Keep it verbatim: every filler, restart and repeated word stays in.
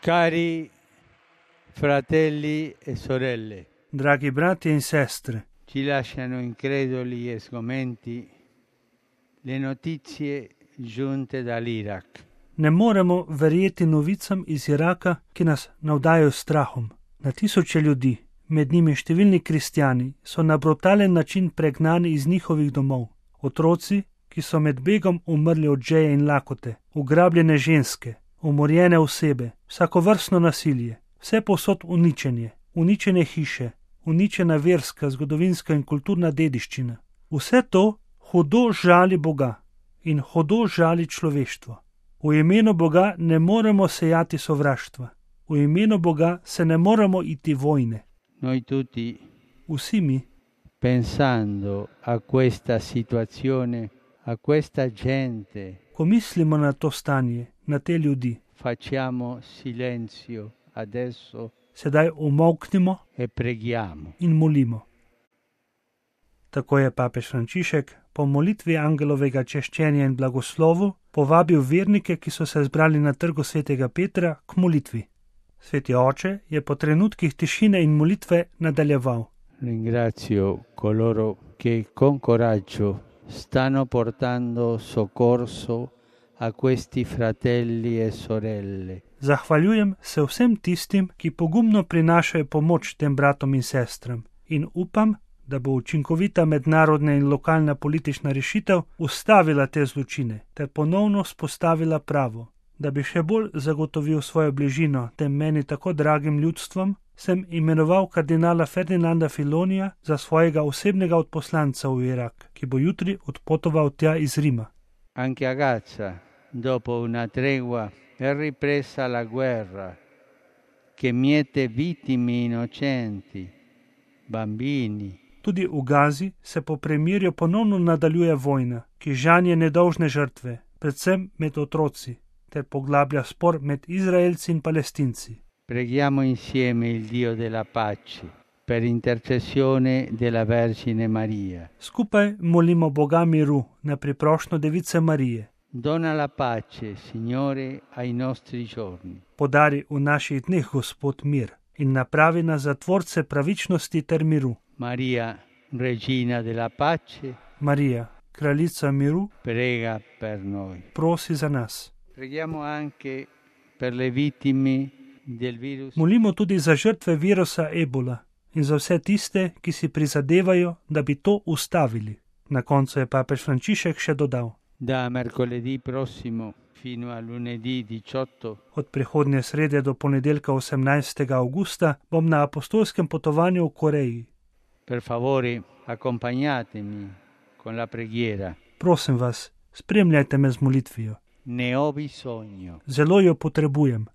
Cari fratelli e sorelle, Dragi brati in sestre, ci lasciano increduli e sgomenti le notizie giunte dall'Iraq. ne moremo verjeti novicam iz Iraka, ki nas navdajajo s strahom. Na tisoče ljudi, med njimi številni kristjani, so na brutalen način pregnani iz njihovih domov. Otroci, ki so med begom umrli od žeje in lakote, ugrabljene ženske, umorjene osebe, vsakovrstno nasilje, vse povsod uničenje, uničene hiše, uničena verska, zgodovinska in kulturna dediščina. Vse to hudo žali Boga in hudo žali človeštvo. V imenu Boga ne moremo sejati sovraštva. V imenu Boga se ne moremo iti vojne. Noi tutti, Vsi mi, pensando a questa situazione, a questa gente, ko mislimo na to stanje, na te ljudi, facciamo silenzio adesso sedaj umolknimo e preghiamo. in molimo. Tako je papež Frančišek po molitvi angelovega češčenja in blagoslovu povabil vernike, ki so se zbrali na trgu svetega Petra, k molitvi. Sveti oče je po trenutkih tišine in molitve nadaljeval. Ringrazio coloro che con coraggio stanno portando soccorso a questi fratelli e sorelle. Zahvaljujem se vsem tistim, ki pogumno prinašajo pomoč tem bratom in sestram, in upam, da bo učinkovita mednarodna in lokalna politična rešitev ustavila te zločine ter ponovno spostavila pravo. Da bi še bolj zagotovil svojo bližino tem meni tako dragim ljudstvom, sem imenoval kardinala Ferdinanda Filonija za svojega osebnega odposlanca v Irak, ki bo jutri odpotoval tja iz Rima. Anche a Gaza, dopo una tregua, è ripresa la guerra che miete vittime innocenti, bambini. Tudi v Gazi se po premirju ponovno nadaljuje vojna, ki žanje nedolžne žrtve, predvsem med otroci, ter poglablja spor med Izraelci in Palestinci. Preghiamo insieme il Dio della pace per intercessione della Vergine Maria. Skupaj molimo Boga miru na priprošnjo Device Marije. Dona la pace, Signore, ai nostri giorni. Podari v naših dneh, Gospod, mir in napravi nas za tvorce pravičnosti ter miru. Maria, Regina della pace, Marija, kraljica miru, prega per noi. prosi za nas. Preghiamo anche per le vittime del virus. Molimo tudi za žrtve virusa ebola in za vse tiste, ki si prizadevajo, da bi to ustavili. Na koncu je papež Frančišek še dodal. Da mercoledì prossimo fino a lunedì diciotto Od prihodnje srede do ponedeljka osemnajstega avgusta bom na apostolskem potovanju v Koreji. Per favore, accompagnatemi con la preghiera. Prosim vas, spremljajte me z molitvijo. Ne ho bisogno. Zelo jo potrebujem.